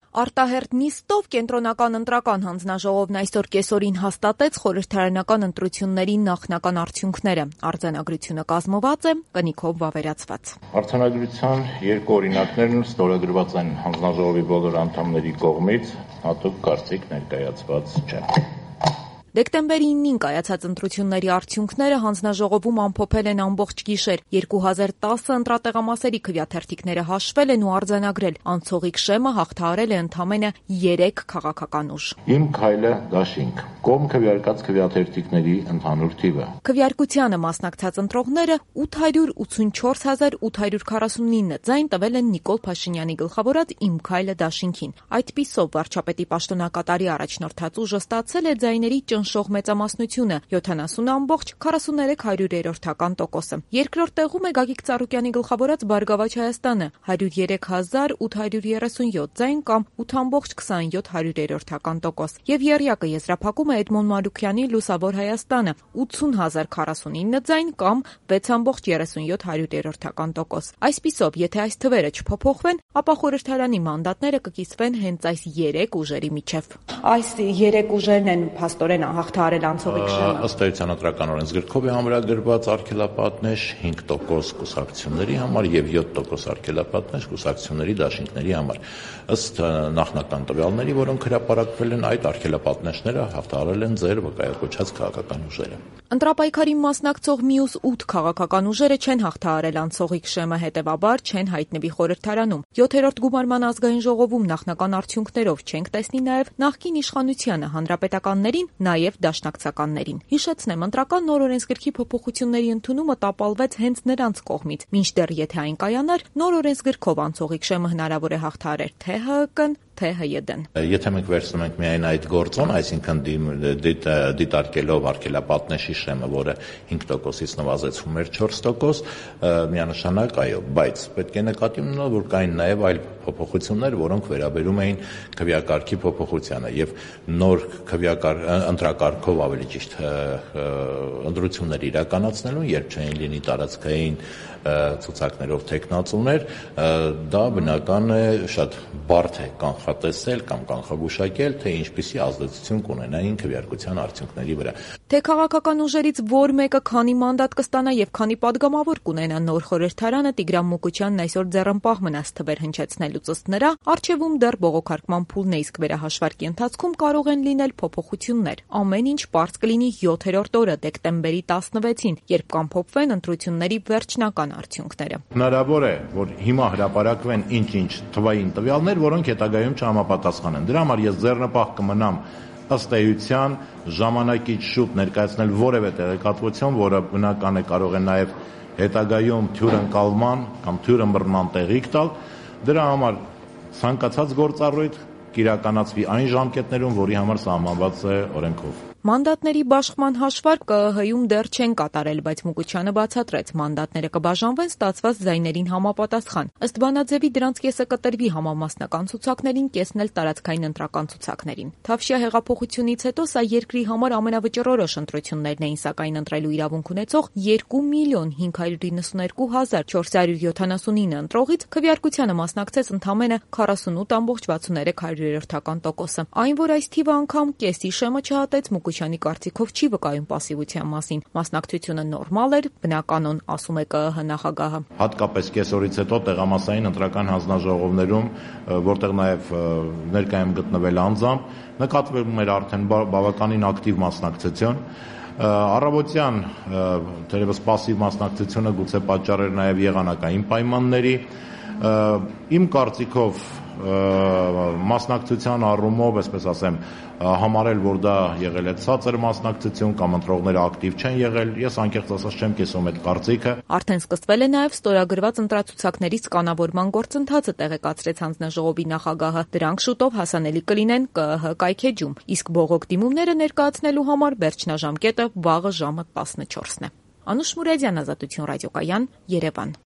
Արտահերթ նիստով կենտրոնական ընտրական հանձնաժողովն այսօր կեսօրին հաստատեց խորհրդարանական ընտրությունների նախնական արդյունքները։ Արձանագրությունը կազմված է կնիքով վավերացված։ Արձանագրության երկու օրինակներն ստորագրված են հանձնաժողովի բոլոր անդամների կողմից, հատուկ կարծիք ներկայացված չէ։ Դեկտեմբերի 9-ին կայացած ընտրությունների արդյունքները հանձնաժողովում ամփոփել են ամբողջ գիշեր։ 2010 ընտրատեղամասերի քվեաթերթիկները հաշվել են ու արձանագրել։ Անցողիկ շեմը հաղթահարել է ընդամենը 3 քաղաքական ուժ։ Իմ քայլը դաշինք։ Կողմ քվեարկած քվեաթերթիկների ընդհանուր թիվը։ Քվեարկությանը մասնակցած ընտրողները 884,849 ձայն տվել են Նիկոլ Փաշինյանի գլխավորած Իմ քայլը դաշինքին։ Այդպիսով վարչապետի պաշտոնակատարի առաջնորդած ուժը ստացել է ձայների ճնշող մեծամասնությունը 70,43%։ Երկրորդ տեղում է Գագիկ Ծառուկյանի գլխավորած Բարգավաճ Հայաստանը 103,837 ձայն կամ 8,27%։ Եվ եռյակը եզրափակում է Էդմոն Մանուկյանի Լուսավոր Հայաստանը 80,049 ձայն կամ 6,37%։ Այսպիսով, եթե այս թվերը չփոփոխվեն, ապա խորհրդարանի մանդատները կկիսվեն հենց այս 3 ուժերի միջև։ Այս 3 ուժերն են փաստորեն հաղթահարել անցողիկ շեմը։ Ըստ էության ընտրական օրենսգրքով է ամրագրված արգելապատնեշ 5% կուսակցությունների համար եւ 7% արգելապատնեշ կուսակցությունների դաշինքների համար։ Ըստ նախնական տվյալների, որոնք հրապարակվել են, այդ արգելապատնեշները հաղթահարել են ձեր վկայակոչած քաղաքական ուժերը։ Ընտրապայքարին մասնակցող մյուս 8 քաղաքական ուժերը չեն հաղթահարել անցողիկ շեմը, հետևաբար չեն հայտնվի խորհրդարանում։ 7-րդ գումարման ազգային ժողովում նախնական արդյունքներով չենք տեսնի նաև նախկին իշխանությանը, հանրապետականներին, նաև դաշնակցականներին։ Հիշեցնեմ, ընտրական նոր օրենսգրքի փոփոխությունների ընդունումը տապալվեց հենց նրանց կողմից, մինչդեռ եթե այն կայանար, նոր օրենսգրքով անցողիկ շեմը հնարավոր է հաղթահարել թե ՀՀԿ-ն, թե ՀՅԴ-ն։ Եթե մենք վերցնում ենք միայն այդ գործոն, այսինքն դիտարկելով արգելապատնեշի շեմը, որը 5%-ից նվազեցվում էր 4%, միանշանակ այո, բայց պետք է նկատի ունենալ, որ կային նաև այլ փոփոխություններ, որոնք վերաբերում էին քվեակարգի փոփոխությանը եւ նոր ընտրակարգով ավելի ճիշտ ընտրություններ իրականացնելուն, երբ չէին լինի տարածքային ցուցակներով թեկնածուներ, դա բնական է շատ բարդ է կանխատեսել կամ կանխագուշակել, թե ինչպիսի ազդեցություն կունենային քվեարկության արդյունքների վրա։ Թե քաղաքական ուժերից որ մեկը քանի մանդատ կստանա եւ քանի падգամավոր կունենա նոր խորհրդարանը, Տիգրան Մուկուչյանն այսօր ձեռնպահ մնաց թվեր հնչեցնելուց, ըստ նրա, առջևում դեռ բողոքարկման փուլն է, իսկ վերահաշվարկի ընթացքում կարող են լինել փոփոխություններ։ Ամեն ինչ պարզ կլինի 7-րդ օրը, դեկտեմբերի 16-ին, երբ կամփոփվեն ընտրությունների վերջնական արդյունքները։ Հնարավոր է, որ հիմա հրապարակվեն ինչ-ինչ թվային տվյալներ, որոնք հետագայում չհամապատասխանեն։ Դրա համար ես ձեռնպահ կմնամ ըստ էության ժամանակից շուտ ներկայացնել որևէ տեղեկատվություն, որը բնական է կարող է նաև հետագայում թյուրընկալման կամ թյուրըմբռնման տեղիք տալ։ Դրա համար ցանկացած գործառույթ կիրականացվի այն ժամկետներում, որի համար սահմանված է օրենքով։ Մանդատների բաշխման հաշվարկ ԿԸՀ-ում դեռ չեն կատարել, բայց Մուկուչյանը բացատրեց, մանդատները կբաժանվեն ստացված ձայներին համապատասխան։ Ըստ բանաձևի դրանց կեսը կտրվի համամասնական ցուցակներին, կեսն էլ տարածքային ընտրական ցուցակներին։ Թավշյա հեղափոխությունից հետո սա երկրի համար ամենավճռորոշ ընտրություններն էին, սակայն ընտրելու իրավունք ունեցող 2,592,479 ընտրողից քվեարկությանը մասնակցեց ընդամենը 48,63%։ Այն, որ այս թիվը անգամ կեսի շեմը չհատեց, Մուկուչյանի կարծիքով չի վկայում պասիվության մասին։ Մասնակցությունը նորմալ էր, բնականon, ասում է ԿԸՀ նախագահը։ Հատկապես կեսօրից հետո տեղամասային ընտրական հանձնաժողովներում, որտեղ նաև ներկայ եմ գտնվել անձամբ, նկատվում էր արդեն բավականին ակտիվ մասնակցություն։ Առավոտյան թերևս պասիվ մասնակցությունը գուցե պատճառ էր նաև եղանակային պայմանների։ Իմ կարծիքով մասնակցության առումով, այսպես ասեմ, համարել, որ դա եղել է ցածր մասնակցություն կամ ընտրողները ակտիվ չեն եղել, ես անկեղծ ասած չեմ կիսում այդ կարծիքը։ Արդեն սկսվել է նաև ստորագրված ընտրացուցակների սկանավորման գործընթացը, տեղեկացրեց հանձնաժողովի նախագահը։ Դրանք շուտով հասանելի կլինեն ԿԸՀ կայքեջում, իսկ բողոք դիմումները ներկայացնելու համար վերջնաժամկետը վաղը ժամը 14-ն է։ Անուշ Մուրադյան, Ազատություն ռադիոկայան, Երևան։